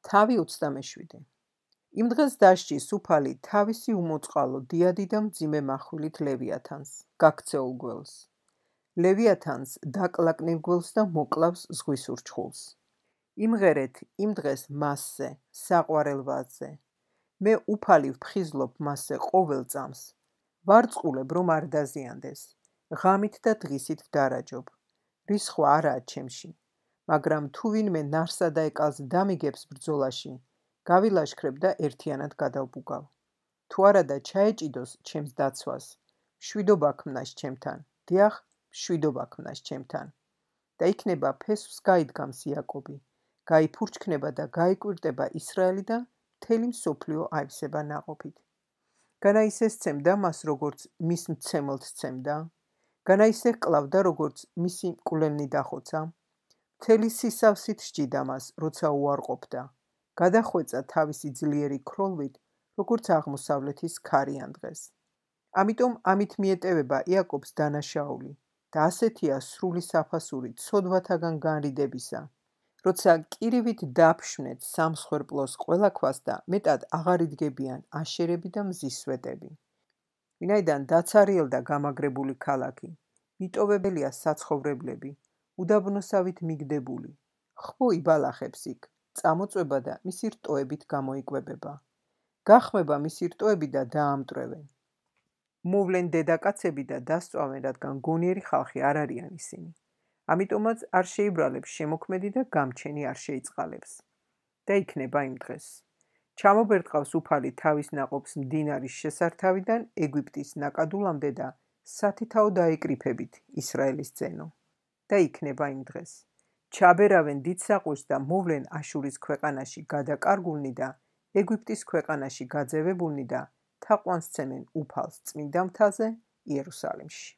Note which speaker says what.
Speaker 1: თავი 27. იმ დღეს დასჯის უფალი თავისი უმოწყალო დიადი და მძიმე מחვილით ლევიათანს, გაქცეულ გველს. ლევიათანს დაკლაკნილ გველს და მოკლავს ზღვის ურჩხულს. იმღერეთ იმ დღეს მასზე, საყვარელ ვაზზე. მე უფალი ვფხიზლობ მასზე ყოველ წამს. ვარწყულებ, რომ არ დაზიანდეს. ღამით და დღისით ვდარაჯობ. რისხვა არაა ჩემში. მაგრამ თუ ვინმე ნარსა და ეკალს დამიგებს ბრძოლაში, გავილაშქრებ და ერთიანად გადავბუგავ. თუ არადა ჩაეჭიდოს ჩემს დაცვას, მშვიდობა ქმნას ჩემთან, დიახ, მშვიდობა ქმნას ჩემთან. და იქნება ფესვს გაიდგამს იაკობი, გაიფურჩქნება და გაიკვირტება ისრაელი და მთელი მსოფლიო აივსება ნაყოფით. განა ისე სცემდა მას, როგორც მის მცემელთ სცემდა? განა ისე ჰკლავდა, როგორც მისი მკვლელნი დახოცა? მთელი სისავსით სჯიდა მას, როცა უარყოფდა. გადახვეწა თავისი ძლიერი ქროლვით, როგორც აღმოსავლეთის ქარიან დღეს. ამიტომ ამით მიეტევება იაკობს დანაშაული და ასეთია სრული საფასური ცოდვათაგან განრიდებისა, როცა კირივით დაფშვნეთ სამსხვერპლოს ყველა ქვას და მეტად აღარ იდგებიან აშერები და მზის სვეტები. ვინაიდან დაცარიელდა გამაგრებული ქალაქი, მიტოვებელია საცხოვრებლები, უდაბნოსავით მიგდებული, ხბო იბალახებს იქ, წამოწვება და მისი რტოებით გამოიკვებება. გახმება მისი რტოები და დაამტვრევენ. მოვლენ დედაკაცები და დასწვავენ, რადგან გონიერი ხალხი არ არიან ისინი. ამიტომაც არ შეიბრალებს შემოქმედი და გამჩენი არ შეიწყალებს. და იქნება იმ დღეს. ჩამობერტყავს უფალი თავის ნაყოფს მდინარის შესართავიდან ეგვიპტის ნაკადულამდე და სათითაო დაეკრიფებით ისრაელის ძენო. და იქნება იმ დღეს. ჩაბერავენ დიდ საყვირს და მოვლენ აშურის ქვეყანაში გადაკარგულნი და ეგვიპტის ქვეყანაში გაძევებულნი და თაყვანს სცემენ უფალს წმინდა მთაზე იერუსალიმში.